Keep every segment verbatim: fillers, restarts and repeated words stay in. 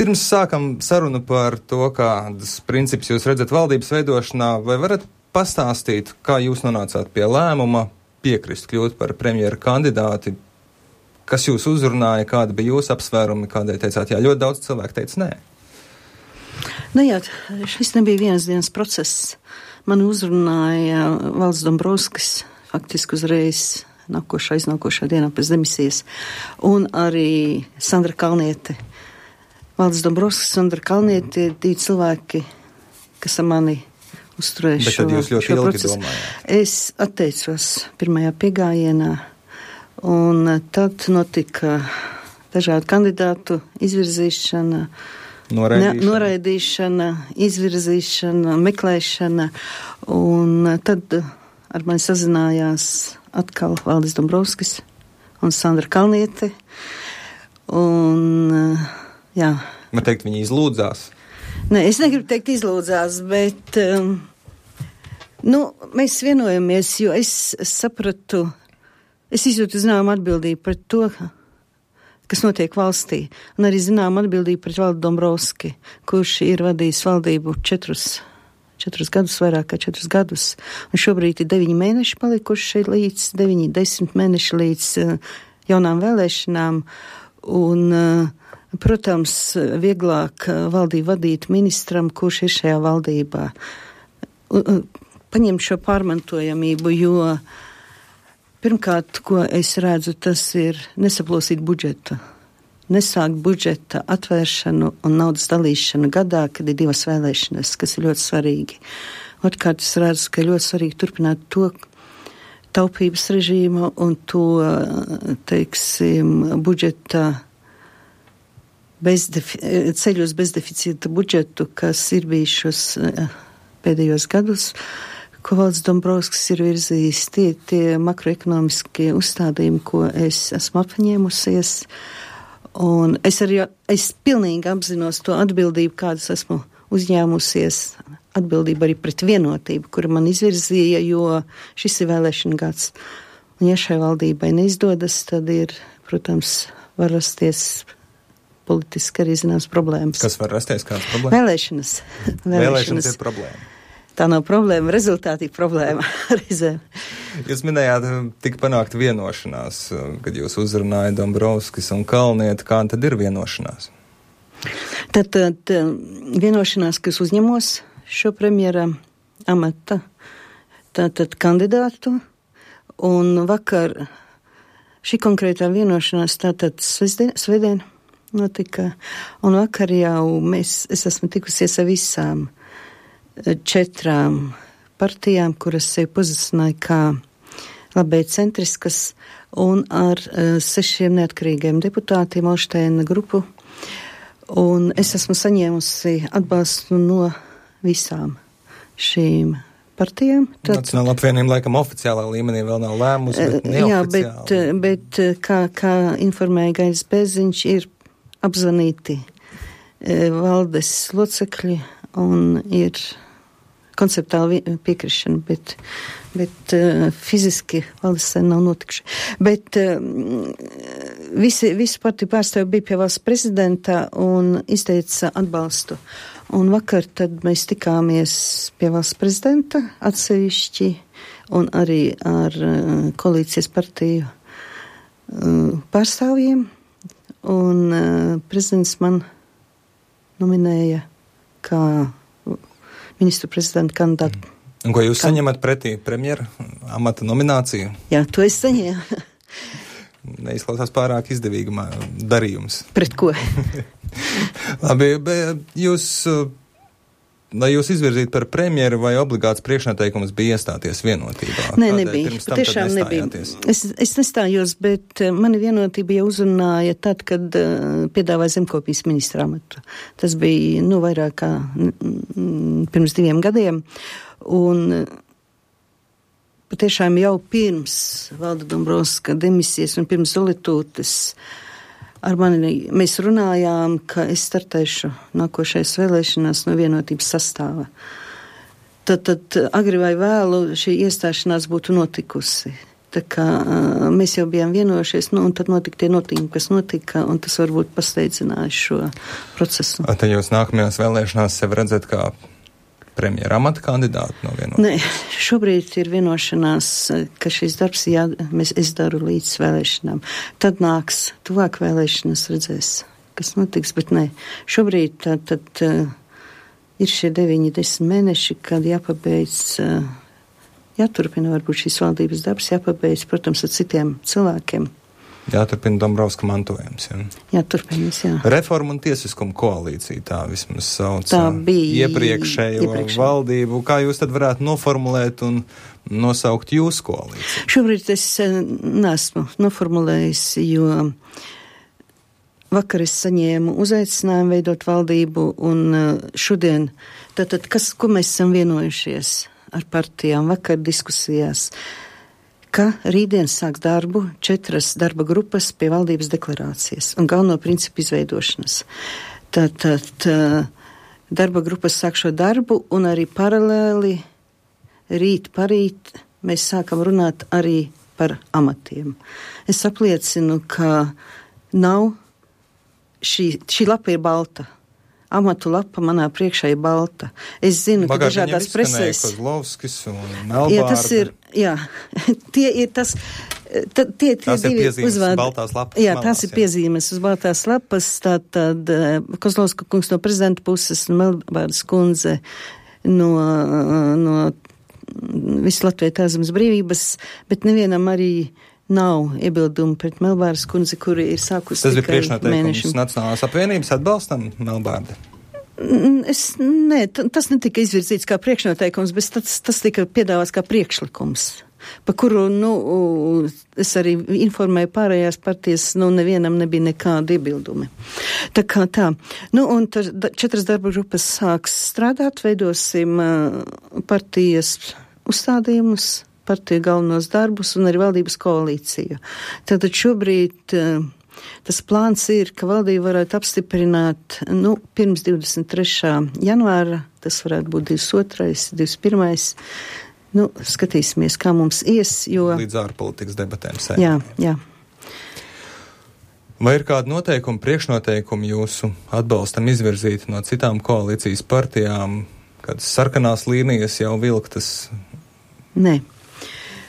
Pirms sākam sarunu par to, kādas principus jūs redzat valdības veidošanā, vai varat pastāstīt, kā jūs nonācāt pie lēmuma piekrist kļūt par premjera kandidāti? Kas jūs uzrunāja, kāda bija jūsu apsvērumi, kādēļ teicāt, jā, ļoti daudz cilvēku teica nē? Nu jā, šis nebija vienas dienas process. Man uzrunāja Valdis Dombrovskis faktiski uzreiz nākošā, iznākošā dienā pēc demisijas, un arī Sandra Kalniete. Valdis Dombrovskis, Sandra Kalniete ir divi cilvēki, kas ar mani uzturēja šo, šo procesu. Domājāt. Es atteicos pirmajā piegājienā, un tad notika dažādu kandidātu izvirzīšana, noraidīšana, ne, noraidīšana izvirzīšana, meklēšana, un tad ar mani sazinājās atkal Valdis Dombrovskis un Sandra Kalniete, un jā. Man teikt, viņi izlūdzās? Nē, es negribu teikt izlūdzās, bet um, nu, mēs vienojamies, jo es sapratu, es izjūtu zinām atbildību pret to, kas notiek valstī, un arī zinām atbildību pret Valdi Dombrovski, kurš ir vadījis valdību četrus, četrus gadus, vairāk kā četrus gadus, un šobrīd ir deviņi mēneši palikuši līdz, deviņi, desmit mēneši līdz uh, jaunām vēlēšanām, un uh, protams, vieglāk valdību vadīt ministram, kurš ir šajā valdībā. Paņemt šo pārmantojamību, jo pirmkārt, ko es redzu, tas ir nesaplosīt budžetu. Nesākt budžeta atvēršanu un naudas dalīšanu gadā, kad ir divas vēlēšanas, kas ir ļoti svarīgi. Otrkārt, es redzu, ka ļoti svarīgi turpināt to taupības režīmu un to, teiksim, budžeta Bezdefi, ceļos bezdeficīta budžetu, kas ir bijušos pēdējos gadus, ko Valdis Dombrovskis ir virzījis, tie, tie makroekonomiskie uzstādījumi, ko es esmu apņēmusies. Un es arī, es pilnīgi apzinos to atbildību, kādas esmu uzņēmusies, atbildību arī pret vienotību, kura man izvirzīja, jo šis ir vēlēšana gads. Un ja šai valdībai neizdodas, tad ir, protams, var rasties politiski arī zināms problēmas. Kas var rasties, kādas problēmas? Vēlēšanas. Vēlēšanas. Vēlēšanas ir problēma. Tā nav problēma, rezultāti ir problēma reizēm. Jūs minējāt, tika panākt vienošanās, kad jūs uzrunājat Dombrovskis un Kalnieti. Kā tad ir vienošanās? Tad, tad vienošanās, kas uzņemos šo premjera amata, tātad kandidātu, un vakar šī konkrētā vienošanās tātad svētdien notika, un vakar jau mēs, es esmu tikusies ar visām četrām partijām, kuras sevi pozicionēja kā labēji centriskas, un ar uh, sešiem neatkarīgiem deputātiem Olšteina grupu, un es esmu saņēmusi atbalstu no visām šīm partijām. Tad, Nacionāla apvienība laikam oficiālā līmenī vēl nav lēmusi, bet neoficiāli. Jā, bet, bet kā, kā informēja Gainis Bēziņš, ir apzvanīti e, valdes locekļi un ir konceptuāli piekrišana, bet, bet e, fiziski valdes sen nav notikuši. Bet e, visi, visi partiju pārstāvji bija pie valsts prezidentā un izteica atbalstu. Un vakar tad mēs tikāmies pie valsts prezidenta atsevišķi un arī ar e, koalīcijas partiju e, pārstāvjiem. Un uh, prezidents man nominēja kā ministru prezidenta kandidātu. Un ko jūs Kad... saņemat pretī premjera amata nomināciju? Jā, to es saņēmu. Neizklausās pārāk izdevīgi darījums. Pret ko? Labi, bet jūs, lai jūs izvirzītu par premjeru, vai obligāts priekšnoteikums bija iestāties vienotībā? Nē, nebija. Tiešām nebija. Es, es nestājos, bet mani vienotība jau uzrunāja tad, kad uh, piedāvāja zemkopības ministra amatu. Tas bija, nu, vairāk kā mm, pirms diviem gadiem. Un patiešām jau pirms Valda Dombrovska demisijas un pirms Zolitūtes ar mani mēs runājām, ka es startēšu nākošais vēlēšanās no vienotības sastāva. Tad, tad agri vai vēlu šī iestāšanās būtu notikusi. Tā kā uh, mēs jau bijām vienojušies, nu, un tad notika tie notikumi, kas notika, un tas varbūt pasteidzināja šo procesu. Tad jūs nākamajās vēlēšanās sev redzat kā premjera amata kandidātu no vienošanās? Nē, šobrīd ir vienošanās, ka šis darbs jā, mēs, es daru līdz vēlēšanām. Tad nāks tuvāk vēlēšanas, redzēs, kas notiks, bet nē. Šobrīd tad, tad uh, ir šie deviņi, desmit mēneši, kad jāpabeidz... Uh, Jāturpina varbūt šīs valdības darbs, jāpabeidz, protams, ar citiem cilvēkiem. Jāturpina Dombrovska mantojums. Ja? Jāturpinās, jā. Reforma un tiesiskuma koalīcija, tā vismaz sauc tā bija iepriekšējo iepriekšēj. valdību. Kā jūs tad varētu noformulēt un nosaukt jūsu koalīciju? Šobrīd es neesmu noformulējis, jo vakar es saņēmu uzaicinājumu veidot valdību un šodien, tātad, kas, ko mēs esam vienojušies ar partijām vakar diskusijās, ka rītdien sāks darbu četras darba grupas pie valdības deklarācijas un galveno principu izveidošanas. Tātad darba grupas sāk šo darbu un arī paralēli rīt parīt mēs sākam runāt arī par amatiem. Es apliecinu, ka nav šī, šī lapa ir balta. Amatu lapa manā priekšā ir balta. Es zinu, ka dažādās presēs... Kozlovskis un Melbārde. Jā, tas ir, jā, tie ir tas... Ta, tie, tie tās ir divi piezīmes uzvārdi, uz baltās lapas. Jā, malās, tās ir jā. piezīmes uz baltās lapas. Tātad Kozlovska kungs no prezidenta puses, Melbārdes kundze no, no visu Latviju Tēzemes brīvības, bet nevienam arī nav iebildumu pret Melbārdes kundzi, kuri ir sākusi tas tikai mēnešiem. Tas bija priekšnoteikums Nacionālās apvienības atbalstam Melbārdi? Es, nē, tas netika izvirzīts kā priekšnoteikums, bet tas, tas tika piedāvāts kā priekšlikums, pa kuru, nu, es arī informēju pārējās partijas, nu, nevienam nebija nekāda iebildumi. Tā kā tā. Nu, un tad četras darba grupas sāks strādāt, veidosim partijas uzstādījumus, partiju galvenos darbus un arī valdības koalīciju. Tātad šobrīd tas plāns ir, ka valdība varētu apstiprināt, nu, pirms divdesmit trešā janvāra, tas varētu būt divdesmit otrais, divdesmit pirmais Nu, skatīsimies, kā mums ies, jo... Līdz ārpolitikas debatēm sēd. Jā, jā. Vai ir kādi noteikumi, priekšnoteikumi jūsu atbalstam izvirzīti no citām koalīcijas partijām, kādas sarkanās līnijas jau vilktas? Nē.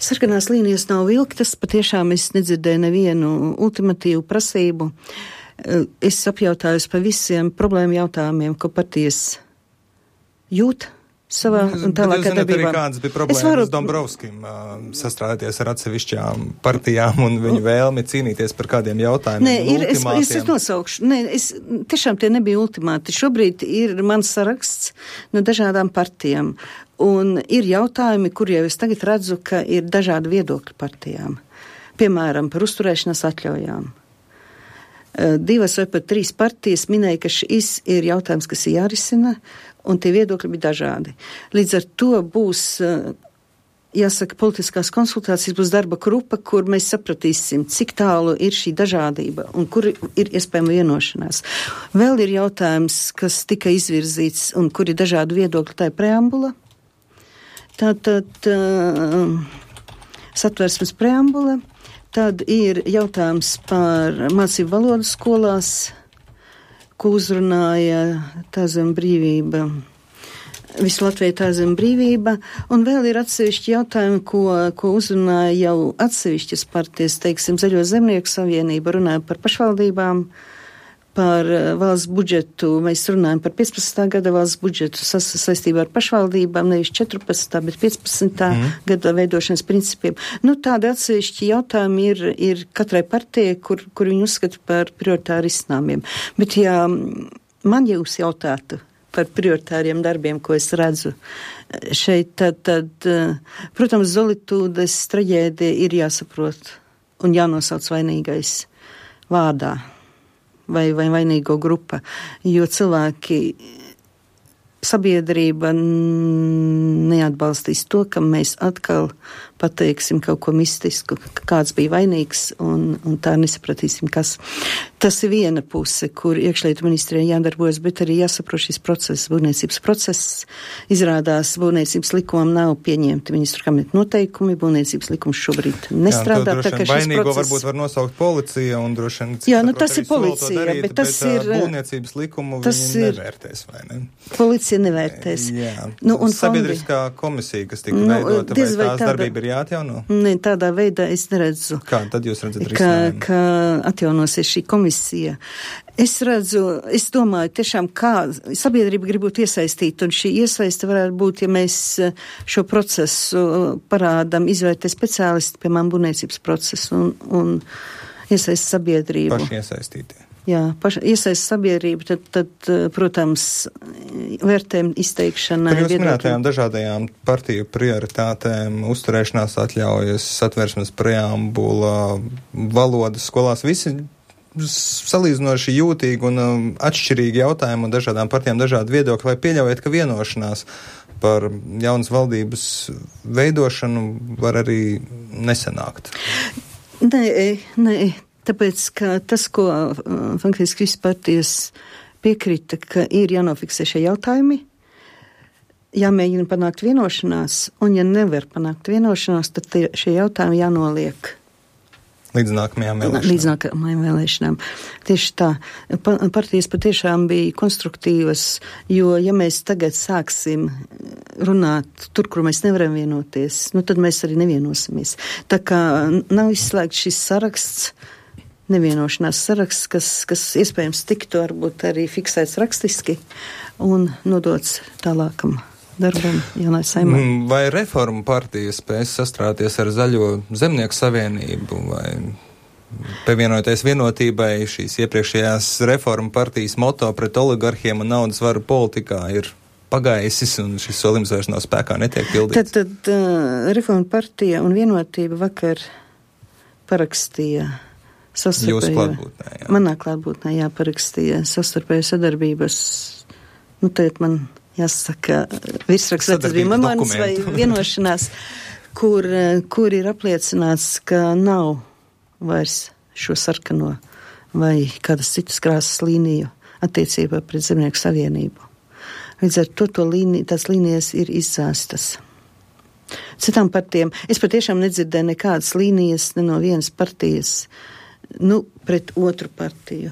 Sarkanās līnijas nav vilktas, patiešām es nedzirdēju nevienu ultimatīvu prasību. Es apjautājos par visiem problēmu jautājumiem, ko partijas jūt savā un tālākā darbībā. Jūs zināt arī, kādas bija problēmas varu... Dombrovskim uh, sastrādāties ar atsevišķām partijām un viņu vēlmi cīnīties par kādiem jautājumiem? Nē, ir, es, es, es nosaukšu. Nē, es, tiešām tie nebija ultimāti. Šobrīd ir mans saraksts no dažādām partijām. Un ir jautājumi, kur jau es tagad redzu, ka ir dažādi viedokļi partijām. Piemēram, par uzturēšanās atļaujām. Divas vai pat trīs partijas minēja, ka šis ir jautājums, kas ir jārisina, un tie viedokļi bija dažādi. Līdz ar to būs, jāsaka, politiskās konsultācijas, būs darba grupa, kur mēs sapratīsim, cik tālu ir šī dažādība un kur ir iespējama vienošanās. Vēl ir jautājums, kas tika izvirzīts un kur ir dažādi viedokļi, tā ir preambula. Tātad uh, satversmes preambula. Tad ir jautājums par mācību valodu skolās, ko uzrunāja Tēzeme brīvība, visu Latviju Tēzeme brīvība, un vēl ir atsevišķi jautājumi, ko, ko uzrunāja jau atsevišķas partijas, teiksim, Zaļo zemnieku savienība, runāja par pašvaldībām, par valsts budžetu, mēs runājam par piecpadsmitā gada valsts budžetu sas, saistībā ar pašvaldībām, nevis četrpadsmitā, bet piecpadsmitā mm. gada veidošanas principiem. Nu, tādi atsevišķi jautājumi ir, ir katrai partijai, kur, kur viņi uzskata par prioritāri risinājumiem. Bet, ja man jūs jautātu par prioritāriem darbiem, ko es redzu šeit, tad, tad protams, Zolitūdes traģēdija ir jāsaprot un jānosauc vainīgais vārdā. Vai, vai vainīgo grupa, jo cilvēki sabiedrība neatbalstīs to, ka mēs atkal pateiksim kaut ko mistisku, ka kāds bija vainīgs un, un tā nesapratīsim, kas. Tas ir viena puse, kur iekšlietu ministrijai jādarbojas, bet arī jāsaprot šis process, būvniecības process. Izrādās, būvniecības likumam nav pieņemti ministru kabineta noteikumi, būvniecības likums šobrīd nestrādā. Jā, tā kā šis vainīgo process... varbūt var nosaukt policija un droši vien... Jā, nu tas ir policija, darīt, bet tas bet, ir... būvniecības likumu viņi ir, nevērtēs, vai ne? Policija nevērtēs. Jā. Nu, un sabiedriskā fondi... komisija, kas tika nu, veidota, vai tās tāda... darbība ir jāatjauno? Ne, tādā veidā es neredzu. Kā tad jūs redzat ka, risinājumu? ka atjaunosies šī komisija. Es redzu, es domāju, tiešām kā sabiedrība grib būt iesaistīta, un šī iesaiste varētu būt, ja mēs šo procesu parādam, izvērtē speciālisti, piemēram, būvniecības procesu un, un iesaist sabiedrību. Paši iesaistītie. Jā, paši iesaist sabiedrību, tad, tad, protams, vērtējumu izteikšanai. Par jūs minētajām dažādajām partiju prioritātēm, uzturēšanās atļaujas, satversmes preambula, valodas skolās, visi salīdzinoši jūtīgi un um, atšķirīgi jautājumi un dažādām partijām dažādi viedokļi, vai pieļaujat, ka vienošanās par jaunas valdības veidošanu var arī nesanākt? Nē, nē. Tāpēc, ka tas, ko faktiski visas partijas piekrita, ka ir jānofiksē šie jautājumi, jāmēģina panākt vienošanās, un ja nevar panākt vienošanās, tad tie, šie jautājumi jānoliek. Līdz nākamajām vēlēšanām. Līdz nākamajām vēlēšanām. Tieši tā. Pa, partijas patiešām bija konstruktīvas, jo ja mēs tagad sāksim runāt tur, kur mēs nevaram vienoties, nu tad mēs arī nevienosimies. Tā kā nav izslēgts šis saraksts, nevienošanās saraksts, kas, kas iespējams tiktu varbūt arī fiksēts rakstiski un nodots tālākam darbam jaunai saimai. Vai reformu partija spēs sastrāties ar Zaļo zemnieku savienību vai pievienoties vienotībai šīs iepriekšējās reformu partijas moto pret oligarhiem un naudas varu politikā ir pagaisis un šis solījums vairs nav spēkā, netiek pildīts? Tad, tad uh, reformu partija un vienotība vakar parakstīja Jūsu klātbūtnē, jā. Manā klātbūtnē jāparakstīja savstarpēju sadarbības, nu tagad man jāsaka virsraksts, vai tas bija memorandums vai vienošanās, kur, kur ir apliecināts, ka nav vairs šo sarkano vai kādas citas krāsas līniju attiecībā pret Zemnieku savienību. Līdz ar to, to līniju, tās līnijas ir izzāstas. Citām partijām, es patiešām nedzirdēju nekādas līnijas, ne no vienas partijas, nu, pret otru partiju.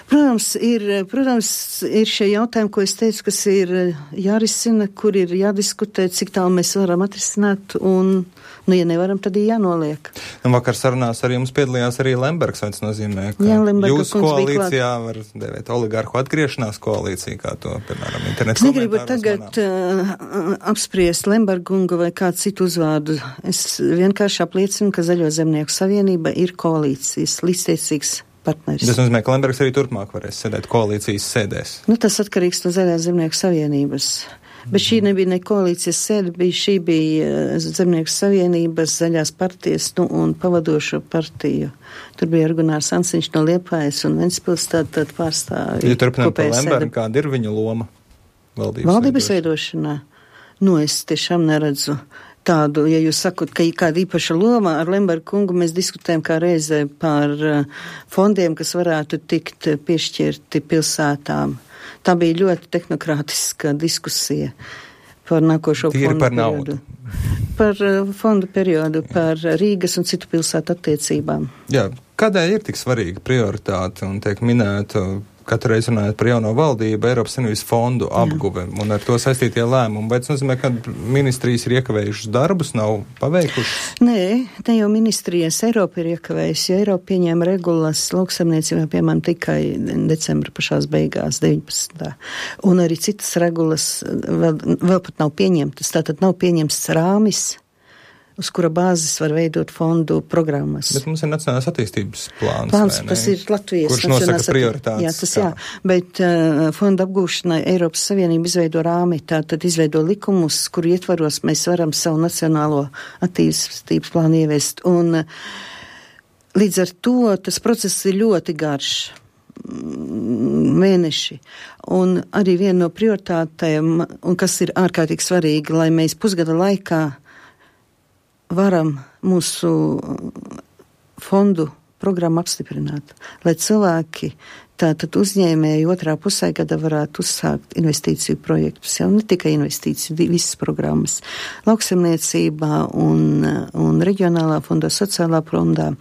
Protams, ir, protams, ir šie jautājumi, ko es teicu, kas ir jārisina, kur ir jādiskutē, cik tālu mēs varam atrisināt, un, nu, ja nevaram, tad ir jānoliek. Nu, vakar sarunās arī jums piedalījās arī Lembergs, vai tas nozīmē, ka Jā, jūsu koalīcijā var devēt oligarhu atgriešanās koalīciju, kā to, piemēram, internetu komentāros. Es negribu tagad uh, apspriest Lembergungu vai kādu citu uzvārdu. Es vienkārši apliecinu, ka Zaļo zemnieku savienība ir koalīcijas līdztiecīgs partneris. Tas nozīmē, ka Lembergs arī turpmāk varēs sēdēt koalīcijas sēdēs. Nu, tas atkarīgs no Zaļā zemnieku savienības. Bet šī nebija ne koalīcijas sēde, bija, šī bija Zemnieku savienības, Zaļās partijas, nu, un pavadošo partiju. Tur bija Gunārs Ansiņš no Liepājas un Ventspils tāda tād pārstāvja. Ja turpinām par Lembergu, kāda ir viņa loma valdības, valdības veidošanā? Nu, es tiešām neredzu tādu, ja jūs sakot, ka ir kāda īpaša loma, ar Lembergu kungu mēs diskutējam kā reizē par fondiem, kas varētu tikt piešķirti pilsētām. Tā bija ļoti tehnokrātiska diskusija par nākošo Tīri fondu par periodu. Naudu. Par uh, fondu periodu, Jā. Par Rīgas un citu pilsētu attiecībām. Jā, kādēļ ir tik svarīga prioritāte un tiek minēta katru reizi runājot par jauno valdību, Eiropas Savienības fondu apguve un ar to saistītie lēmumi? Vai tas nozīmē, ka ministrijas ir iekavējušas darbus, nav paveikušas? Nē, ne jau ministrijas, Eiropa ir iekavējusi, jo Eiropa pieņēma regulas lauksaimniecībā, piemēram, tikai decembra pašās beigās, deviņpadsmitā Un arī citas regulas vēl, vēl pat nav pieņemtas, tātad nav pieņemts rāmis, uz kura bāzes var veidot fondu programmas. Bet mums ir nacionālās attīstības plāns, plāns tas ir Latvijas kurš nosaka prioritātes. Jā, tas jā, bet uh, fonda apgūšanai Eiropas Savienība izveido rāmi, tātad izveido likumus, kuru ietvaros mēs varam savu nacionālo attīstības plānu ieviest. Un uh, līdz ar to tas process ir ļoti garš. mēneši. Un arī viena no prioritātēm, un kas ir ārkārtīgi svarīgi, lai mēs pusgada laikā varam mūsu fondu programmu apstiprināt, lai cilvēki, tātad uzņēmēji otrā pusē gada varētu uzsākt investīciju projektus, jau ne tikai investīciju, visas programmas, lauksaimniecībā un, un reģionālā fondā, sociālā fondā.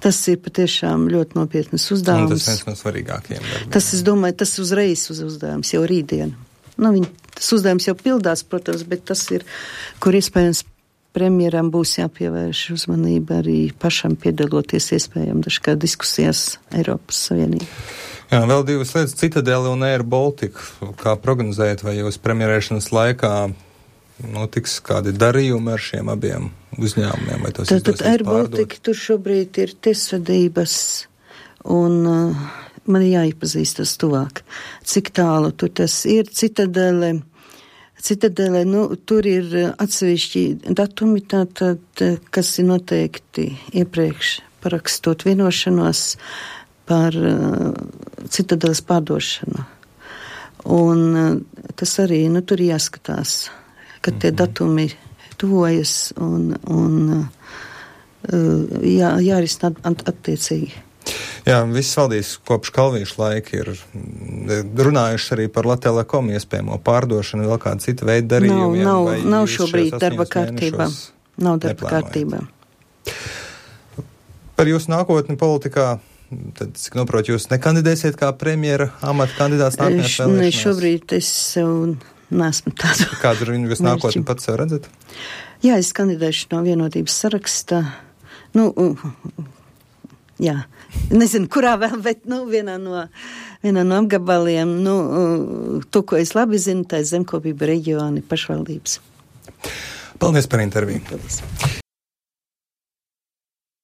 Tas ir patiešām ļoti nopietnas uzdevums. Un tas viens no svarīgākajiem darbiem. Tas, es domāju, tas uzreiz uz uzdevums jau rītdien. Nu, viņi, tas uzdevums jau pildās, protams, bet tas ir, kur iespējams premjeram būs jāpievērš uzmanība arī pašam piedaloties iespējami dažkārt diskusijās Eiropas Savienībā. Jā, vēl divas lietas, Citadele un Air Baltica. Kā prognozējat, vai jūs premjerēšanas laikā notiks kādi darījumi ar šiem abiem uzņēmumiem? Vai tos tad, tad Air pārdot? Baltica tur šobrīd ir tiesvedības un uh, man ir jāiepazīstas tuvāk. Cik tālu tur tas ir? Citadele, Citadele, nu, tur ir atsevišķi datumi, tātad, kas ir noteikti iepriekš parakstot vienošanos par uh, Citadeles pārdošanu. Un uh, tas arī, nu, tur jāskatās, kad tie datumi tuvojas un, un uh, jā, jārisina at, attiecīgi. Jā, viss valdīs kopš Kalvīša laika ir runājuši arī par Latelekom iespējamo pārdošanu, vēl kāda cita veida darījumiem. Nav, nav, nav šobrīd darba kārtībā. Nav darba kārtībā. Par jūsu nākotni politikā, tad, cik noprot, jūs nekandidēsiet kā premjera amata kandidāts nākamajās vēlēšanās? Ne, šobrīd es sev neesmu tādu. Kādu jūs nākotni pats sev redzat? Jā, es kandidēšu no vienotības saraksta. Nu, jā, nezinu, kurā vēl, bet, nu, vienā no, vienā no apgabaliem, nu, to, ko es labi zinu, tā ir zemkopība reģioni pašvaldības. Paldies par interviju. Paldies.